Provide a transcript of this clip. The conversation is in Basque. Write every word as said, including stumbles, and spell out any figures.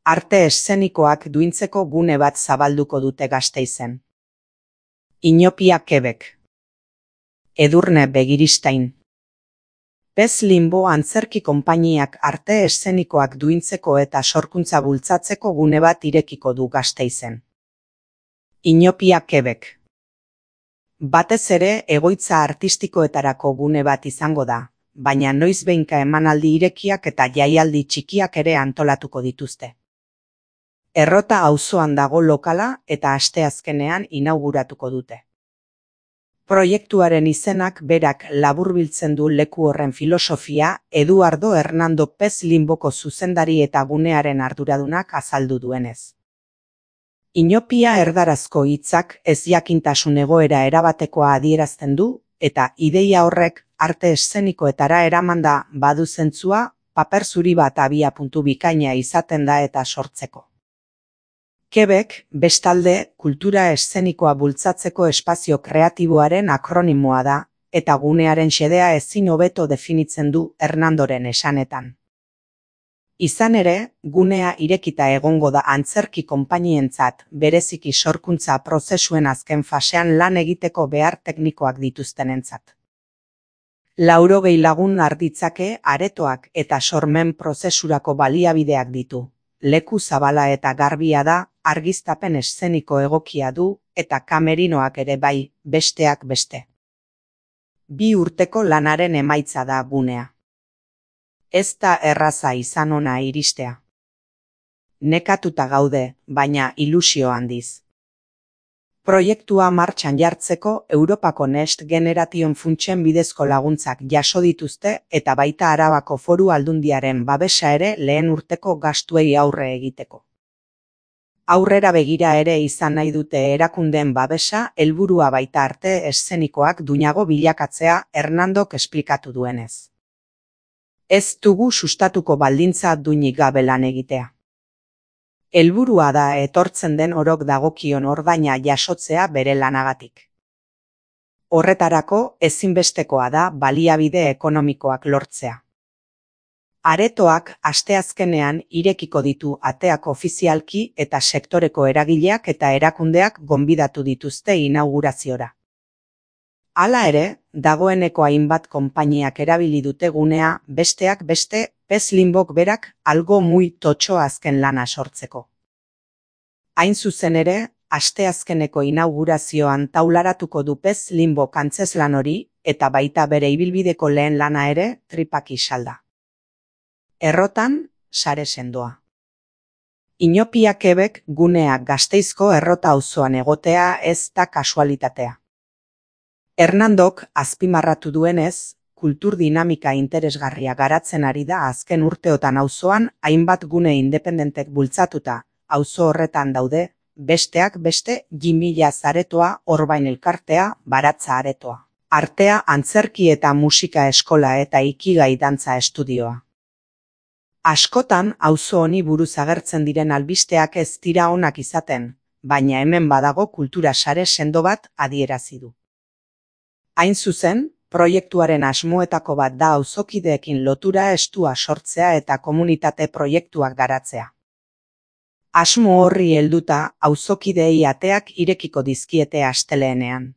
arte eszenikoak duintzeko gune bat zabalduko dute Gasteizen. Inopia Quebec. Edurne Begiristain. Pez Limbo antzerki konpainiak arte eszenikoak duintzeko eta sorkuntza bultzatzeko gune bat irekiko du Gasteizen. Inopia Quebec. Batez ere egoitza artistikoetarako gune bat izango da, baina noizbehinka emanaldi irekiak eta jaialdi txikiak ere antolatuko dituzte. Errota auzoan dago lokala eta asteazkenean inauguratuko dute. Proiektuaren izenak berak laburbiltzen du leku horren filosofia Eduardo Hernando Pez Limboko zuzendari eta gunearen arduradunak azaldu duenez. Inopia erdarazko hitzak ezjakintasun egoera erabatekoa adierazten du, eta ideia horrek arte eszenikoetara eramanda badu zentzua, paper zuri bat abiapuntu bikaina izaten da eta sortzeko. Quebec, bestalde, kultura eszenikoa bultzatzeko espazio kreatiboaren akronimoa da, eta gunearen xedea ezin hobeto definitzen du Hernandoren esanetan. Izan ere, gunea irekita egongo da antzerki konpainientzat bereziki sorkuntza prozesuen azken fasean lan egiteko behar teknikoak dituztenentzat. Laurogei lagun arditzake aretoak eta sormen prozesurako baliabideak ditu. Leku zabala eta garbia da, argiztapen eszeniko egokia du, eta kamerinoak ere bai, besteak beste. Bi urteko lanaren emaitza da gunea. Ez da erraza izan ona iristea. Nekatuta gaude, baina ilusio handiz. Proiektua martxan jartzeko Europako Next Generation funtsen bidezko laguntzak jaso dituzte eta baita Arabako Foru Aldundiaren babesa ere lehen urteko gastuei aurre egiteko. Aurrera begira ere izan nahi dute erakundeen babesa helburua baita arte eszenikoak duinago bilakatzea Hernandok esplikatu duenez. Ez dugu sustatuko baldintza duinik gabe lan egitea. Helburua da etortzen den orok dagokion ordaina jasotzea bere lanagatik. Horretarako ezinbestekoa da baliabide ekonomikoak lortzea. Aretoak asteazkenean irekiko ditu ateak ofizialki eta sektoreko eragileak eta erakundeak gonbidatu dituzte inauguraziora. Hala ere, dagoeneko hainbat konpainiak erabili dute gunea besteak beste Pez Limbok berak algo muy totxo azken lana sortzeko. Hain zuzen ere, asteazkeneko inaugurazioan taularatuko du Pez Limbok antzezlan hori eta baita bere ibilbideko lehen lana ere tripak isalda. Errotan, sare sendoa. Inopia Quebec gunea Gasteizko errota auzoan egotea ez da kasualitatea. Hernandok azpimarratu duenez, kultur dinamika interesgarria garatzen ari da azken urteotan auzoan hainbat gune independentek bultzatuta, auzo horretan daude, besteak beste Jimila aretoa, Orbain elkartea, Baratza aretoa. Artea, antzerki eta musika eskola eta Ikigai dantza estudioa. Askotan auzo honi buruz agertzen diren albisteak ez dira onak izaten, baina hemen badago kultura sare sendo bat adierazi du. Hain zuzen, proiektuaren asmoetako bat da auzokideekin lotura estua sortzea eta komunitate proiektuak garatzea. Asmo horri helduta auzokideei ateak irekiko dizkiete asteleenean.